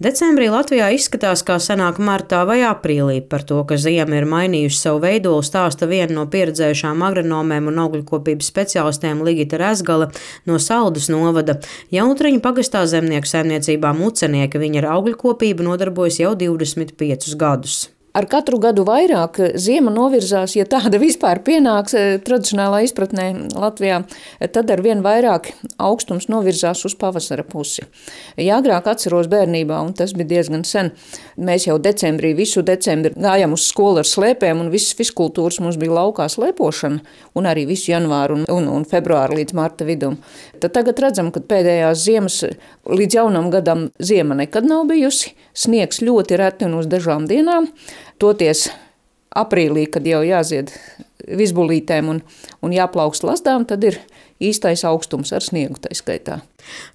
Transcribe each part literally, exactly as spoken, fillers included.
Decembrī Latvijā izskatās kā senāk martā vai aprīlī. Par to, ka ziema ir mainījusi savu veidolu, stāsta viena no pieredzējušām agronomēm un augļkopības speciālistiem Ligita Rezgale no Saldus novada. Jaunutriņu pagastā zemnieku saimniecībā Mucenieki viņa ar augļkopību nodarbojas jau divdesmit piecus gadus. Ar katru gadu vairāk ziema novirzās, ja tāda vispār pienāks tradicionālā izpratnē Latvijā, tad ar vien vairāk augstums novirzās uz pavasara pusi. Ja agrāk atceros bērnībā, un tas bija diezgan sen, mēs jau decembrī, visu decembri gājām uz skolu ar slēpēm, un visas fiskultūras mums bija laukā slēpošana, un arī visu janvāru un, un, un februāru līdz marta vidum. Tad tagad redzam, ka pēdējās ziemas līdz jaunam gadam ziema nekad nav bijusi, sniegs ļoti reti un uz dažām dienām. Toties aprīlī, kad jau jāzied visbulītēm un, un jāplaukst lasdām, tad ir īstais augstums ar sniegu tai skaitā.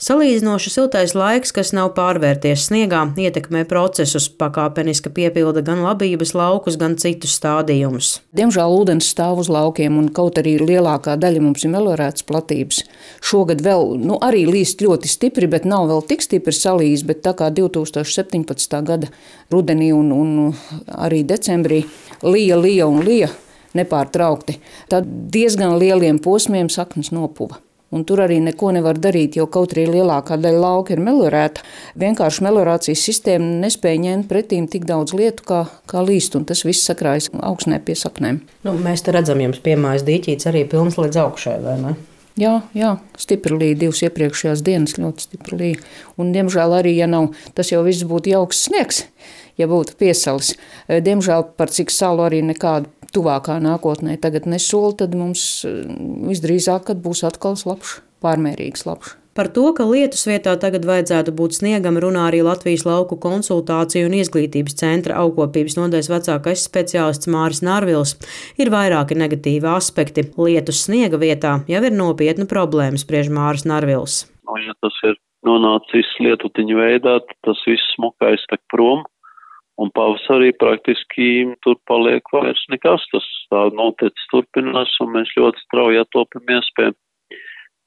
Salīdzinoši siltais laiks, kas nav pārvērties sniegā, ietekmē procesus, pakāpeniski piepilda gan labības laukus, gan citus stādījumus. Diemžēl ūdens stāv uz laukiem, un kaut arī lielākā daļa mums ir meliorētas platības. Šogad vēl, nu, arī līst ļoti stipri, bet nav vēl tik stipri salījis, bet tā kā divi tūkstoši septiņpadsmitā gada rudenī un, un arī decembrī lija, lija un lija nepārtraukti, tad diezgan lieliem posmiem saknes nopuva. Un tur arī neko nevar darīt, jo kaut arī lielākā daļa lauka ir meliorēta. Vienkārši meliorācijas sistēma nespēja ņemt pretīm tik daudz lietu, kā, kā līst, un tas viss sakrājas augsnē pie saknēm. Nu, mēs te redzam, jums piemājas dīķītes arī pilns līdz augšai, vai ne? Jā, jā, stipri līja, divas iepriekšējās dienas ļoti stipri līja. Un, diemžēl, arī, ja nav, tas jau viss būtu jauks sniegs, ja būtu piesalis. Diemžēl, par cik salu arī nekādu tuvākā nākotnē tagad nesola, tad mums visdrīzāk, kad būs atkal slapšs, pārmērīgs slapšs. Par to, ka lietus vietā tagad vajadzētu būt sniegam, runā arī Latvijas lauku konsultāciju un izglītības centra augkopības nodaļas vecākais speciālists Māris Narvils. Ir vairāki negatīvi aspekti. Lietus sniega vietā jau ir nopietna problēma, spriež Māris Narvils. No, ja tas ir nonācis lietutiņu veidā, tad tas viss smukais tek prom. Un pavasarī praktiski tur paliek vairs nekas, tas tā noticis turpinās, un mēs ļoti strauji atopamies pie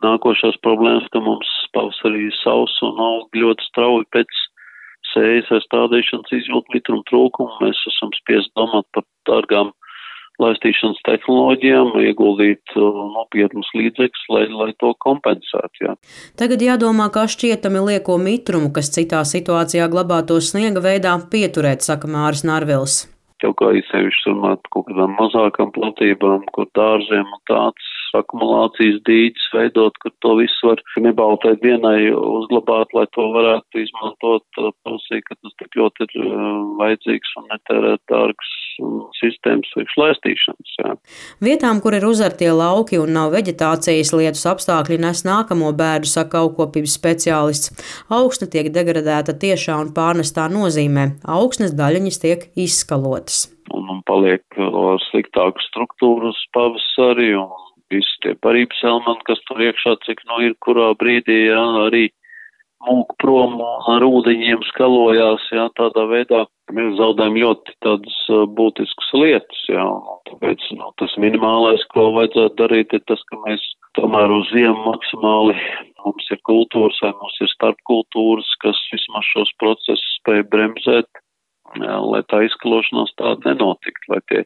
nākošās problēmas, ka mums pavasarī savs un aug ļoti strauji pēc sējas vai stādīšanas izjūt mitrumu trūkumu. Mēs esam spiest domāt par dārgām laistīšanas tehnoloģijām, ieguldīt nopietnus līdzekļus, lai, lai to kompensētu. Jā. Tagad jādomā, kā šķietami lieko mitrumu, kas citā situācijā glabātos sniega veidā, pieturēt, saka Māris Narvils. Jau kā īsevišķi runāt kaut kādām mazākām platībām, kur dārziem un tāds akumulācijas dīķis veidot, kur to visu var nebaltai dienai uzglabāt, lai to varētu izmantot. Prasīja, ka tas tik ļoti ir vajadzīgs un netērēt dārgas sistēmas priekšlaistīšanas. Jā. Vietām, kur ir uzartie lauki un nav veģetācijas, lietus apstākļi nes nākamo bēdu, saka augkopības speciālists. Augsne tiek degradēta tiešā un pārnestā nozīmē. Augsnes daļiņas tiek izskalotas. Un, un paliek sliktākas struktūras pavasarī un visi tie parības elementi, kas tur iekšā, cik nu ir kurā brīdī, jā, arī mūk prom ar ūdeņiem skalojās, jā, tādā veidā mēs zaudējam ļoti tādas būtiskas lietas, jā, un tāpēc, nu, tas minimālais, ko vajadzētu darīt, ir tas, ka mēs tomēr uz ziemu maksimāli, mums ir kultūras vai mums ir starpkultūras, kas vismaz šos procesus spēj bremzēt, jā, lai tā izskalošanās tāda nenotikt, lai tie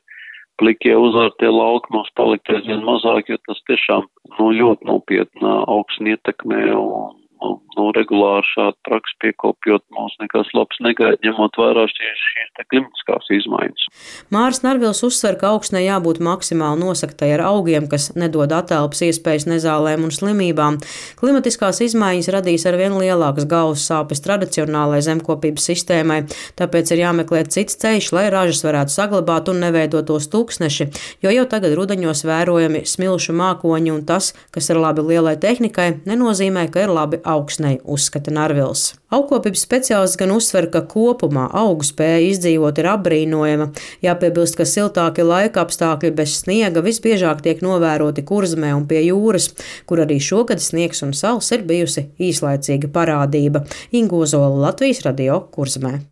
plikie uzvārtie lauki mums palikt aizvien mazāk, jo tas tiešām nu, ļoti nopietnā augsni ietekmē un nu, nu, regulāri šādu praksi piekopjot mums nekas labs negaida, ņemot vērā šīs, šīs te klimatiskās izmaiņas. Māris Narvils uzsver, ka augsnē jābūt maksimāli nosaktai ar augiem, kas nedod atelpas iespējas nezālēm un slimībām. Klimatiskās izmaiņas radīs arvien lielākas galvas sāpes tradicionālai zemkopības sistēmai, tāpēc ir jāmeklē cits ceļš, lai ražas varētu saglabāt un neveidotos tūkstneši, jo jau tagad rudeņos vērojami smilšu mākoņi un tas, kas ir labi lielai tehnikai, nenozīmē, ka ir labi augsnei, uzskata Narvils. Augkopības speciālists gan uzsver, ka kopumā augu spēja izdzīvot ir apbrīnojama. Jāpiebilst, ka siltāki laika apstākļi bez sniega visbiežāk tiek novēroti Kurzemē un pie jūras, kur arī šogad sniegs un sals ir bijusi īslaicīga parādība. Inga Ozola, Latvijas radio, Kurzemē.